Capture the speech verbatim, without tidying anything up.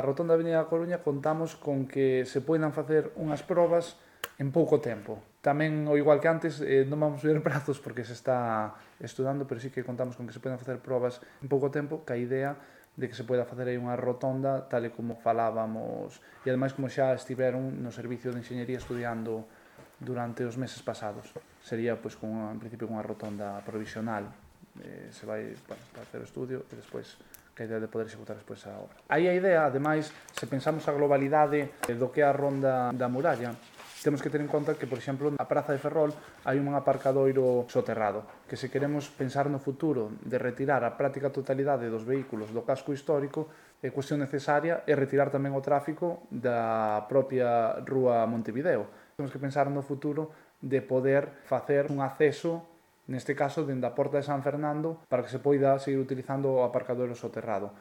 rotonda da Avenida da Coruña contamos con que se poidan facer unhas probas en pouco tempo. Tamén, o igual que antes, eh, non vamos ver prazos porque se está estudando, pero sí que contamos con que se poden facer probas en pouco tempo, que a idea de que se poida facer aí unha rotonda tal e como falábamos, e ademais como xa estiveron no Servicio de Enxeñería estudiando durante os meses pasados. Sería, pois, con unha, en principio, unha rotonda provisional. Eh, se vai, bueno, para hacer o estudio e despois que a idea de poder executar despois a obra. Aí a idea, ademais, se pensamos a globalidade do que é a ronda da muralla, temos que ter en conta que, por exemplo, na Praza de Ferrol hai un aparcadoiro soterrado, que se queremos pensar no futuro de retirar a práctica totalidade dos vehículos do casco histórico, é cuestión necesaria é retirar tamén o tráfico da propia rúa Montevideo. Temos que pensar no futuro de poder facer un acceso, neste caso, dende a Porta de San Fernando, para que se poida seguir utilizando o aparcadoiro soterrado.